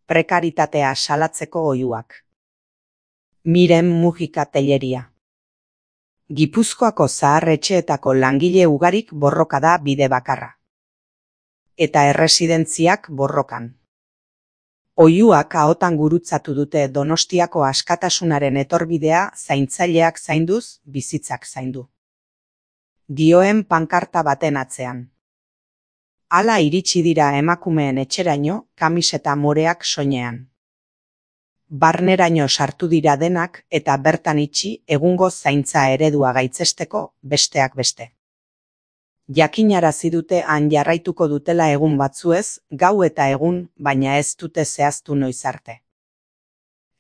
Prekaritatea salatzeko oihuak. Miren Mujika Telleria. Gipuzkoako zahar-etxeetako langile ugarik borroka da bide bakarra. Eta erresidentziak borrokan. Oihuak ahotan gurutzatu dute Donostiako askatasunaren etorbidea zaintzaileak zainduz, bizitzak zaindu. Dioen pankarta baten atzean. Hala iritsi dira emakumeen etxeraino, kamiseta moreak soinean. Barneraino sartu dira denak eta bertan itxi egungo zaintza eredua gaitzesteko besteak beste. Jakinarazi dute han jarraituko dutela egun batzuez, gau eta egun, baina ez dute zehaztu noiz arte.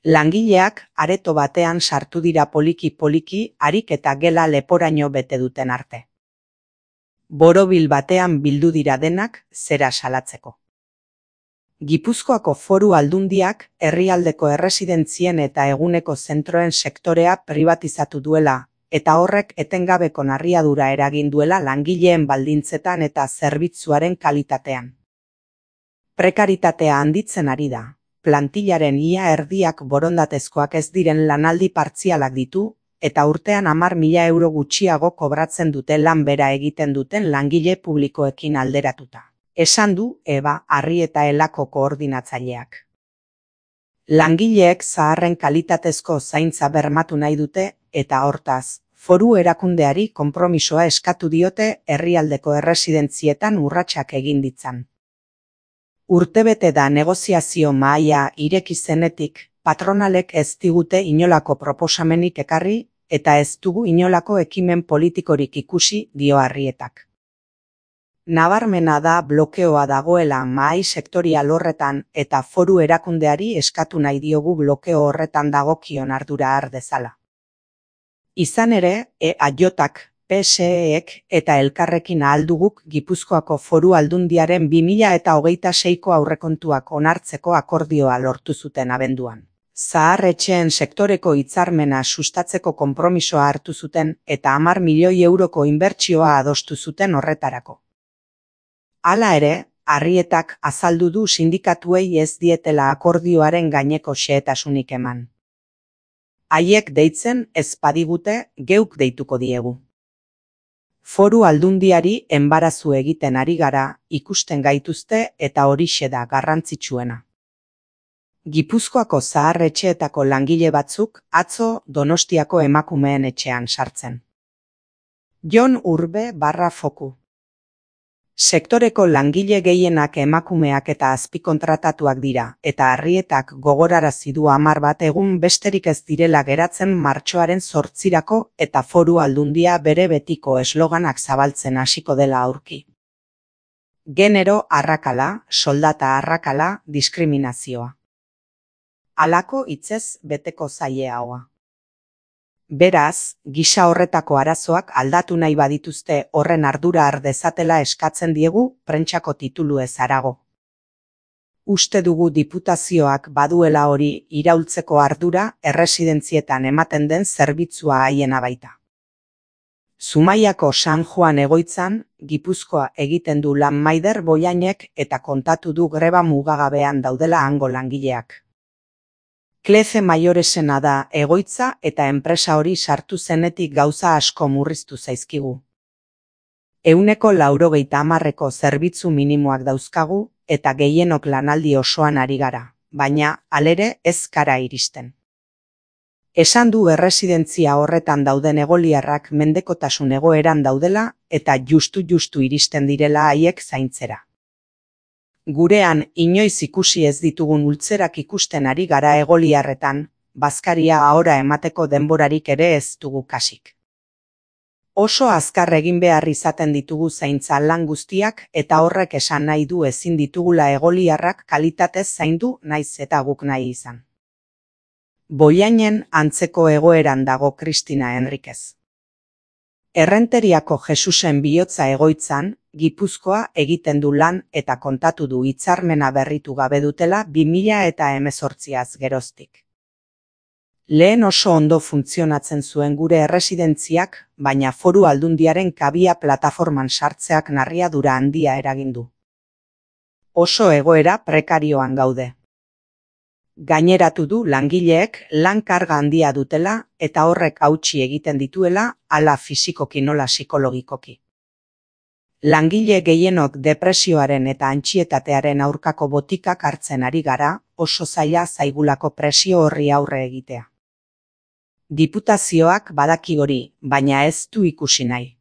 Langileak areto batean sartu dira poliki-poliki harik eta gela leporaino bete duten arte. Borobil batean bildu dira denak zera salatzeko. Gipuzkoako Foru Aldundiak herrialdeko erresidentzien eta eguneko zentroen sektorea pribatizatu duela, eta horrek etengabeko narriadura eragin duela langileen baldintzetan eta zerbitzuaren kalitatean. Prekaritatea handitzen ari da. Plantillaren ia erdiak borondatezkoak ez diren lanaldi partzialak ditu, eta urtean 10.000 euro gutxiago kobratzen dute lan bera egiten duten langile publikoekin alderatuta. Esan du Eba Arrieta Elako koordinatzaileak. Langileek zaharren kalitatezko zaintza bermatu nahi dute, eta hortaz, foru erakundeari konpromisoa eskatu diote herrialdeko erresidentzietan urratsak egin ditzan. Urtebete da negoziazio mahaia ireki zenetik, patronalek ez digute inolako proposamenik ekarri, eta ez dugu inolako ekimen politikorik ikusi, dio Arrietak. Nabarmena da blokeoa dagoela mahai sektorial horretan eta foru erakundeari eskatu nahi diogu blokeo horretan dagokion ardura har dezala. Izan ere, EAJak, PSEek eta elkarrekin ahalduguk Gipuzkoako Foru Aldundiaren 2026ko aurrekontuak onartzeko akordioa lortu zuten abenduan. Zahar-etxeen sektoreko hitzarmena sustatzeko konpromisoa hartu zuten eta 10 milioi euroko inbertsioa adostu zuten horretarako. Hala ere, Arrietak azaldu du sindikatuei ez dietela akordioaren gaineko xehetasunik eman. Haiek deitzen ez badigute, geuk deituko diegu. Foru Aldundiari enbarazu egiten ari gara, ikusten gaituzte eta horixe da garrantzitsuena. Gipuzkoako zahar-etxeetako langile batzuk atzo Donostiako emakumeen etxean sartzen. Jon Urbe /Foku. Sektoreko langile gehienak emakumeak eta azpikontratatuak dira, eta Arrietak gogorarazi du 10 bat egun besterik ez direla geratzen martxoaren 8irako eta Foru Aldundia bere betiko esloganak zabaltzen hasiko dela aurki. Genero arrakala, soldata arrakala, diskriminazioa. Halako hitzez beteko zaie haua. Beraz, gisa horretako arazoak aldatu nahi badituzte horren ardura har dezatela eskatzen diegu prentsako tituluez harago. Uste dugu diputazioak baduela hori iraultzeko ardura erresidentzietan ematen den zerbitzua haiena baita. Zumaiako San Juan egoitzan, Gipuzkoa egiten du lan Maider Boianek eta kontatu du greba mugagabean daudela hango langileak. Kleze Maioresena da egoitza eta enpresa hori sartu zenetik gauza asko murriztu zaizkigu. 90% zerbitzu minimoak dauzkagu eta gehienok lanaldi osoan ari gara, baina halere ez gara iristen. Esan du erresidentzia horretan dauden egoliarrak mendekotasun egoeran daudela eta justu iristen direla haiek zaintzera. Gurean inoiz ikusi ez ditugun ultzerak ikusten ari gara egoliarretan, bazkaria ahora emateko denborarik ere ez dugu kasik. Oso azkar egin behar izaten ditugu zaintza lan guztiak eta horrek esan nahi du ezin ditugula egoliarrak kalitatez zaindu naiz eta guk nahi izan. Boianen antzeko egoeran dago Kristina Enriquez. Errenteriako Jesusen bihotza egoitzan, Gipuzkoa egiten du lan eta kontatu du hitzarmena berritu gabe dutela 2018az geroztik. Lehen oso ondo funtzionatzen zuen gure erresidentziak, baina Foru Aldundiaren kabia plataforman sartzeak narriadura handia eragin du. Oso egoera prekarioan gaude. Gaineratu du langileek lan karga handia dutela eta horrek hautsi egiten dituela hala fisikoki nola psikologikoki. Langile gehienok depresioaren eta antsietatearen aurkako botikak hartzen ari gara, oso zaila zaigulako presio horri aurre egitea. Diputazioak badaki hori, baina ez du ikusi nahi.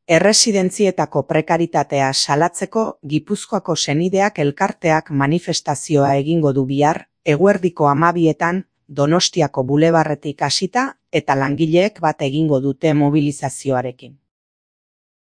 Erresidentzietako prekaritatea salatzeko Gipuzkoako Senideak elkarteak manifestazioa egingo du bihar, eguerdiko 12etan, Donostiako bulebarretik hasita eta langileek bat egingo dute mobilizazioarekin.